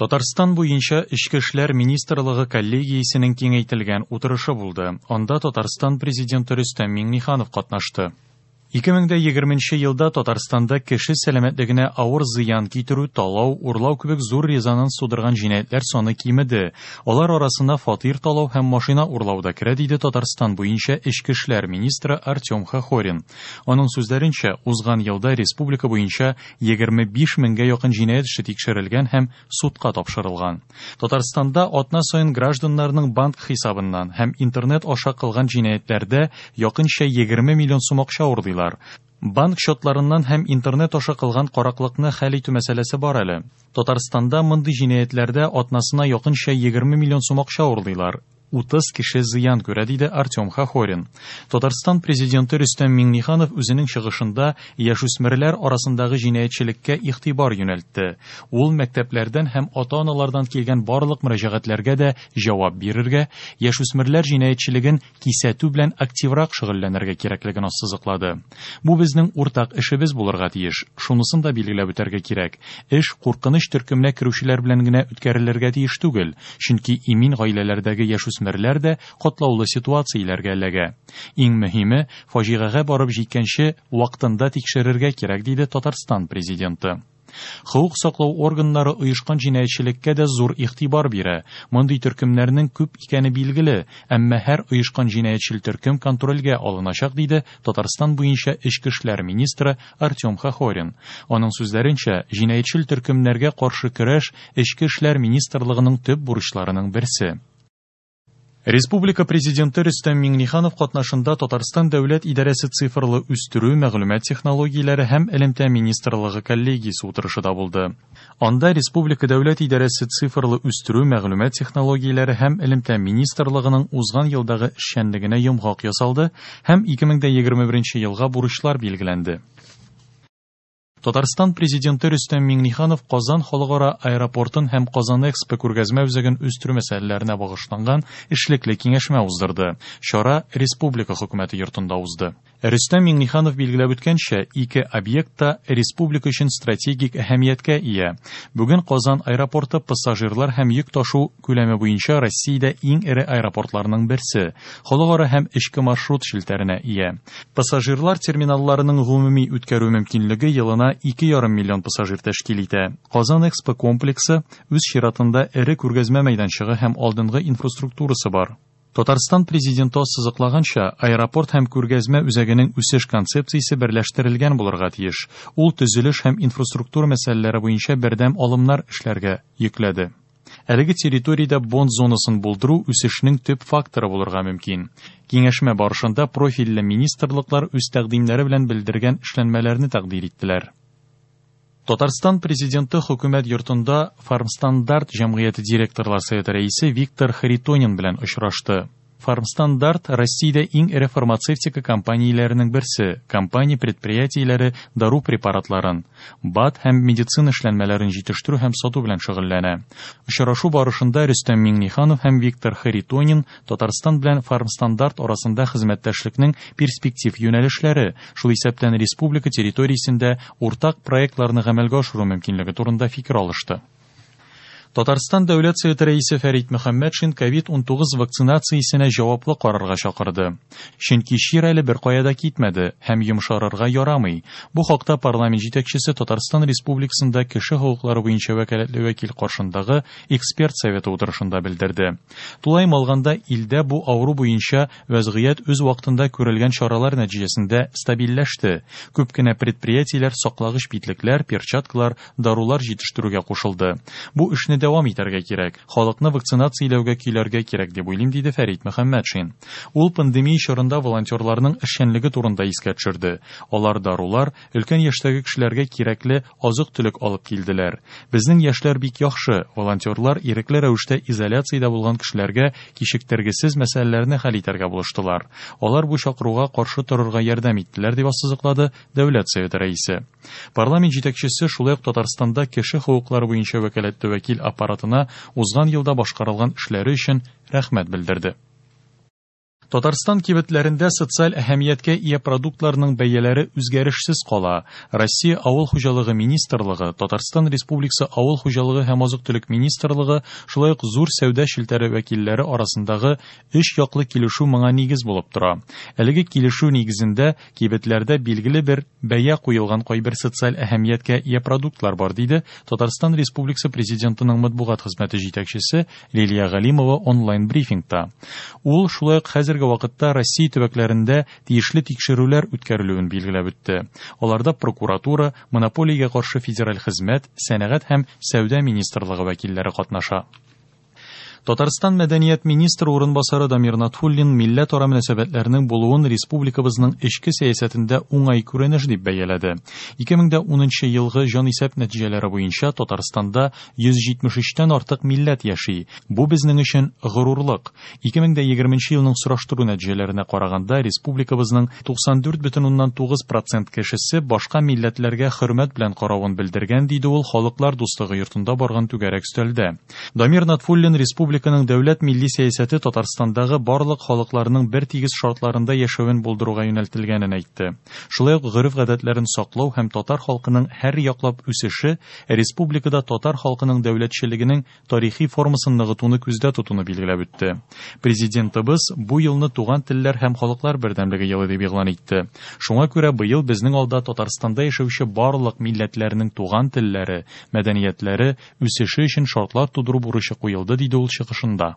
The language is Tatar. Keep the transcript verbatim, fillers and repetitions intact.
Татарстан буенча Эчке эшләр министрлыгы коллегиясенең киңәйтелгән утырышы булды. Анда Татарстан президенты Рөстәм Миңнеханов катнашты. ике мең дә егерменче елда Татарстанда кеше сәламәтлегенә авыр зыян китерү, талау, урлау кебек зур резонанс тудырган җинаятьләр саны кимеде. Алар арасына фатир талау һәм машина урлау да керә, диде Татарстан буенча Эчке эшләр министры Артем Хохорин. Аның сүзләренчә, узган елда республика буенча егерме биш меңгә якын җинаять эше тикшерелгән һәм судка тапшырылган. Татарстанда атна саен гражданнарның банк хисабыннан һәм интернет аша кылган җинаятьләрдә якынча егерме миллион сум акча урлыйлар. Банк счетларыннан һәм интернет аша кылган караклыкны хәл итү мәсьәләсе бар әле. Татарстанда мондый җинаятьләрдә атнасына якынча егерме миллион сум акча урлыйлар. Утыз кеше зыян күрә, диде Артем Хохорин. Татарстан президенты Рөстәм Миңнеханов үзенең чыгышында яшүсмерләр арасындагы җинаятьчелеккә игътибар юнәлтте. Ул мәктәпләрдән һәм ата-аналардан килгән барлык мөрәҗәгатьләргә дә җавап бирергә, яшүсмерләр җинаятьчелеген кисәтү белән активрак шөгыльләнергә кирәклеген ассызыклады. Бу безнең уртак эшебез булырга тиеш. Шунысын да билгеләп үтәргә кирәк. Эш куркыныч төркеменә керүчеләр белән генә үткәрелергә тиеш түгел, чөнки имин гаиләләрдәге яшүсмерләр дә катлаулы ситуацияләргә эләгә. Иң мөһиме, фаҗигагә барып җиткәнче вакытында тикшерергә кирәк, диде Татарстан президенты. Хокук саклау органнары оешкан җинаятьчелеккә дә зур игътибар бирә. Мондый төркемнәрнең күп икәне билгеле, әмма һәр оешкан җинаятьчел төркем контрольгә алыначак, диде Татарстан буенча Эчке эшләр министры Артем Хохорин. Аның сүзләренчә, җинаятьчел төркемнәргә каршы көрәш Эчке эшләр министрлыгының төп бурычларының берсе. Республика президенты Рөстәм Миңнеханов катнашында Татарстан дәүләт идарәсе цифрлы үстерү, мәгълүмат технологияләре һәм элемтә министрлыгы коллегиясе утырышы да булды. Анда Республика дәүләт идарәсе цифрлы үстерү, мәгълүмат технологияләре һәм элемтә министрлыгының узган елдагы эшчәнлегенә йомгак ясалды һәм ике мең дә егерме беренче елга бурычлар билгеләнде. Татарстан президенты Рөстәм Миңнеханов Казан халыкара аэропортын һәм Казан Экспо күргәзмә үзәген үстерү мәсьәләләренә багышланган эшлекле киңәшмә уздырды. Чара Республика хөкүмәте йортында узды. Рөстәм Миңнеханов билгеләп үткәнчә, ике объект та республика өчен стратегик әһәмияткә ия. Бүген Казан аэропорты пассажирлар һәм йөк ташу күләме буенча Россиядә иң эре аэропортларның берсе, халыкара һәм эчке маршрут челтәренә ия. Пассажирлар терминалларының гомуми үткәрү мөмкинлеге елына ике ярым миллион пассажир тәшкил итә. Казан Экспо комплексы үз чиратында эре күргәзмә мәйданчыгы һәм алдынгы инфраструктурасы бар. Татарстан президенты ассызыклаганча, аэропорт һәм күргәзмә үзәгенең үсеш концепциясе берләштерелгән булырга тиеш. Ул төзелеш һәм инфраструктура мәсьәләләре буенча бердәм алымнар эшләргә йөкләде. Әлеге территориядә бонд зонасын булдыру үсешнең төп факторы булырга мөмкин. Киңәшмә барышында профильле министрлыклар үз тәкъдимнәре белән белдергән эшләнмәләрне тәкъдир иттеләр. Татарстан президенты хөкүмәт йортында Фармстандарт җәмгыяте директорлар советы рәисе Виктор Харитонин белән очрашты. Фармстандарт Россиядә иң эре фармацевтика компанияләренең берсе. Компания предприятиеләре дару препаратларын, БАД һәм медицина эшләнмәләрен җитештерү һәм сату белән шөгыльләнә. Очрашу барышында Рөстәм Миңнеханов һәм Виктор Харитонин Татарстан белән Фармстандарт арасында хезмәттәшлекнең перспектив юнәлешләре, шул исәптән республика территориясендә уртак проектларны гамәлгә ашыру мөмкинлеге турында фикер алышты. Татарстан Дәүләт Советы рәисе Фәрит Мөхәммәтшин ковид унтугыз вакцинациясенә җаваплы карарга чакырды. Чөнки чир әле бер кая да китмәде һәм йомшарырга ярамый. Бу хакта парламент җитәкчесе Татарстан Республикасында кеше хокуклары буенча вәкаләтле вәкил каршындагы эксперт советы утырышында белдерде. Тулаем алганда, илдә бу авыру буенча вәзгыять үз вакытында күрелгән чаралар нәтиҗәсендә стабильләште. Күп кенә предприятиеләр саклагыч битлекләр, перчаткалар, дарулар җитештерүгә кушылды. Бу эшне дәвам итәргә кирәк. Халыкны вакцинацияләүгә көйләргә кирәк дип уйлыйм, диде Фәрит Мөхәммәтшин. Ул пандемия чорында волонтерларның эшчәнлеге турында искә төшерде. Алар дарулар, өлкән яшьтәге кешеләргә кирәкле азык-төлек алып килделәр. Безнең яшьләр бик яхшы. Волонтерлар ирекле рәвештә изоляциядә булган кешеләргә кичектергесез мәсьәләләрне хәл итәргә булыштылар. Алар бу чакыруга каршы торырга ярдәм иттеләр, дип ассызыклады Дәүләт Советы рәисе. Парламент җитәкчесе шулай ук Татарстанда кеше хокуклары буенча вәкаләтле вәкил аппаратына узган елда башкарылган эшләре өчен рәхмәт белдерде. Татарстан кибетләрендә социаль әһәмияткә ия продуктларның бәяләре үзгәрешсез кала. Россия Авыл хуҗалыгы министрлыгы, Татарстан Республикасы Авыл хуҗалыгы һәм азык-төлек министрлыгы, шулай ук зур сәүдә челтәре вәкилләре арасындагы өч яклы килешү моңа нигез булып тора. Әлеге килешү нигезендә кибетләрдә билгеле бер бәя куелган кайбер социаль әһәмияткә ия продуктлар бар, диде Татарстан Республикасы Президентының матбугат хезмәте җитәкчесе Лилия Галимова онлайн-брифингта. Ул шулай ук хәзерге вакытта Россия төбәкләрендә тиешле тикшерүләр үткәрелүен билгеләп үтте. Аларда прокуратура, монополиягә каршы федераль хезмәт, сәнәгать һәм сәүдә министрлыгы вәкилләре катнаша. Татарстан мәдәният министры урынбасары Дамир Натфуллин милләтара мөнәсәбәтләрнең булуын республикабызның эчке сәясәтендә уңай күренеш дип бәяләде. ике мең унынчы елгы җанисәп нәтиҗәләре буенча Татарстанда йөз җитмеш өчтән артык милләт яши. Бу безнең өчен горурлык. ике мең егерменче елның сораштыру нәтиҗәләренә караганда республикабызның туксан дүрт бөтен уннан тугыз процент кешесе башка милләтләргә хөрмәт белән каравын белдергән, диде ул Халыклар дуслыгы йортында барган түгәрәк өстәлдә. Дамир Натфуллин республика Республиканың дәүләт милли сәясәте Татарстандагы барлык халыкларның бер тигез шартларында яшәвен булдыруга юнәлтелгәнен әйтте. Шулай ук гореф-гадәтләрен саклау һәм татар халкының һәр яклап үсеше республикада татар халкының дәүләтчелегенең тарихи формасын ныгытуны күздә тотуны билгеләп үтте. Президентыбыз бу елны туган телләр һәм халыклар бердәмлеге елы дип игълан итте. Шуңа күрә быел безнең алда Татарстанда яшәүче барлык милләтләрнең туган телләре, мәдәниятләре үсеше өчен шартлар тудыру бурычы куелды, диде ул чыгышында.